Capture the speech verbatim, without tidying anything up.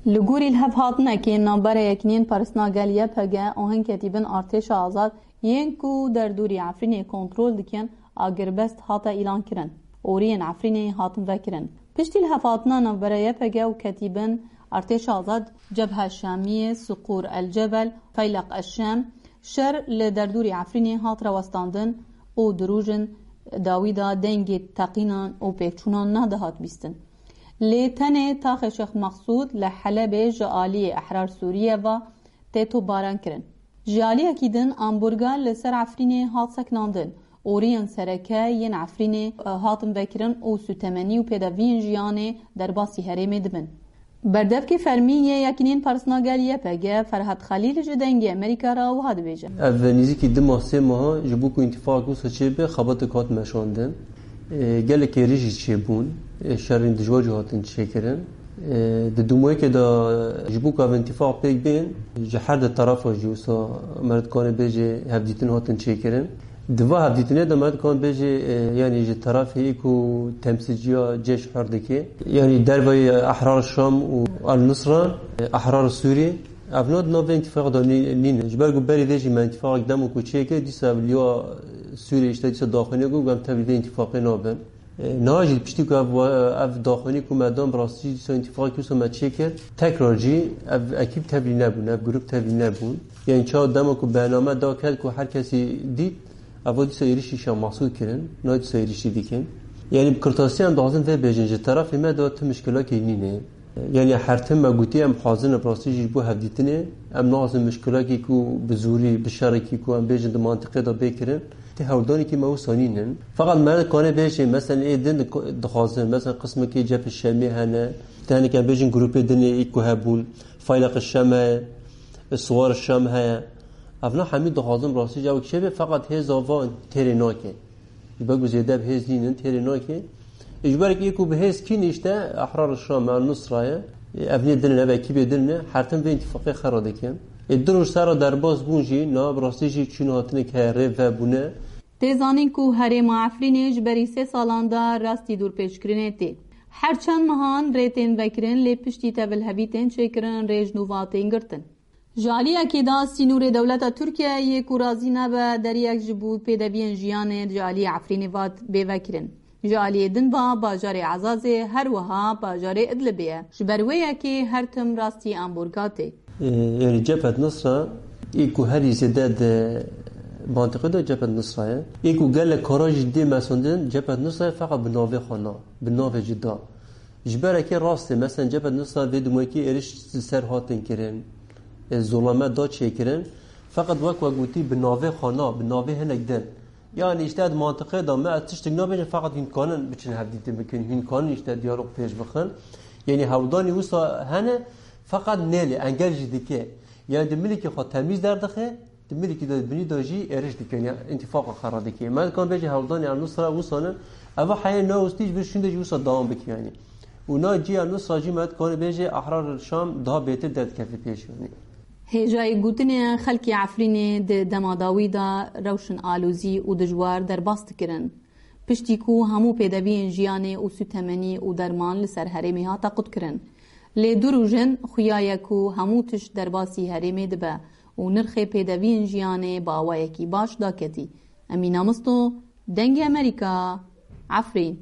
Li gorî lihevhatinekê navbera Yekînên Parastina Gel Y P G û hin ketîbin Artêşa Azad yên ku derdorî Efrînê kontrol dikin, agirbest hate îlankirin. Oriyên Efrînê hatin vekirin. Piştî lihevhatina navbera Y P G û ketîbin Artêşa Azad, Cebha Şamiyê, Suqûr El Cebel, Feyleq El Şam, şer li derdorî Efrînê hat rawestandin û di rojên dawî de dengê teqînan û pêkçûnan nedihat bîstin. Lê tenê taxê Şêx Mexsûd li Helebê ji aliyê Ehrar Sûriye ve tê topbaran kirin. Ji aliyekî din amborga li ser Efrînê hat sekinandin. Oriyên sereke yên Efrînê, e, hatin vekirin û sûtemenî û pêdeviyên jiyanê derbasî herêmê dibin. Berdevkê fermî yê Yekînên Parastina Gel Y P G, Ferhat Xelîl ji Dengê Amerîka re wiha dibêje. Ev nêzîkî du mah, sê meha ji bo ku întîfaqek wisa çêbe, xebatek hat meşandin. E, gelek êrîş jî çêbûn. E, şerên dijwar jî hatin çêkirin. E, di dûmayekê de ji bo ku ev întîfaq pêk bên, ji her di terefa jî wisa me dikane bêje hevdîtin hatin çêkirin. Di va hevdîtinê de me dikane bêje, e, yanî ji terefê ê ku temsîlciya cêş her dike, yanî derveyî Ehrar Şam û El Nusra, e, Ehrar Sûrî, ev na di nav vê întîfaqê de nî-, nîne. Ji ber ku berî vê jî me întîfaqek dema ku çêkir, dîsa ev liya Sûrî işte dîsa daxuyanî ku em tevlî vê întîfaqê nabin. E, niha jî piştî ku ev, ev daxuyanî ku me dan, bi rastî jî dîsa întîfaqek wisa me çêkir, tekrar jî ev ekîb tevlî nebûn, ev grûp tevlî nebûn. Yanî çawa dema ku bername da ket ku her kesî dît, eva dîsa êrîşî Şêx Mexsûd kirin, niha dîsa êrîşî dikin. Yanî bi kurtasî em dixwazin vê bêjin, ji terefê me de tu mişkilekê nîne. Yanî her tim me gotî em hazir ne bi rastî jî ji bo hevdîtinê, em naxwazin mişkilekî ku bi zorî, bi şerekî ku em bêjin di mantiqê de bê kirin, tê hewldanekî me wisa nînin. Feqet me dikane bêjin, mesela ê din dik-, dixwazin, mesela qismekî Cebhê Şamiyê hene, tenê em bêjin grûpê din ê ê ku hebûn, Feyleq Şam heye, Suwar Şam heye. Evna hemî dixwazin rastî jî ew çêbe, feqet hêza van têrê nake. Ji ber ku zêde bi hêz nînin, têrê nake. Ê, ji ber ku bi hêz kî nîşte, Ehrar Şam, El Nusra ye. Ê, ev nê din, ev ekîbê din ne, her tim vê întîfaqê xera dikin. Ê, du roj ser re derbas bûn jî, na bi rastî jî çûn hatinek heye, rê vebûne. Tê zanîn ku herêma Efrînê ji berî sê salan de rastî dorpêçkirinê tê. Her çend mehan rê tên vekirin, lê piştî tevlihevî tên çêkirin, rê ji nû ve tên girtin. Ji aliyekê de sînorê dewleta Tirkiyeyê ku razî nebe deriyek ji bo pêdeviyên jiyanê ji aliyê Efrînê ve bê vekirin. Ji aliyê din ve bajarê Ezazê, her wiha bajarê Idlibê ye. Ji ber wê yekê her tim rastî amborga tê. Ê, yanî Cephet Nusra, ê ku herî zêde di mantiqê de Cephet Nusra ye. Ê ku gelek kara jî dê mesandin, Cephet Nusra ye, feqet bi navê xwe na, bi navê cuda. Ji ber ekê rast e, mesela Cephet Nusra vê dûmayekî êrîş li ser hatin kirin, e, zulame da çêkirin. Feqet wek we gotî bi navê xwe na, bi navê hinek din. Yanî işte di mantiqê de me ez tiştek nabêjim, feqet hûn dikanin biçin hevdîtin bikin, hûn dikanin işte diyalog pêş bixin. Yanî hewldanî wisa hene, feqet nêlê, engel jî dike. Yanî di milekî xwe temîz derdixe, di milekî de, di binî de jî êrîş dike, yanî întîfaqa xera dike. Me dikan bêje hewldanî El Nusra wisa ne, eva heye newestî ji vir şûnde jî wisa dewam bike yanî. Û na cî El Nusra jî me dikan bêje Ehrar Şam daha bêtir derdikeve pêş yanî. Hêjayî gotinê xelkê Efrînê di dema dawî de rewşin alozî û dijwar derbas dikirin. Piştî ku hemû pêdeviyên jiyanê û sûtemenî û derman li ser herêmê hate qutkirin. Lê du roj in xuya ye ku hemû tişt derbasî herêmê dibe û nirxê pêdeviyên jiyanê bi awayekî baş daketî. Emîna Misto, Dengê Amerîka, Efrîn.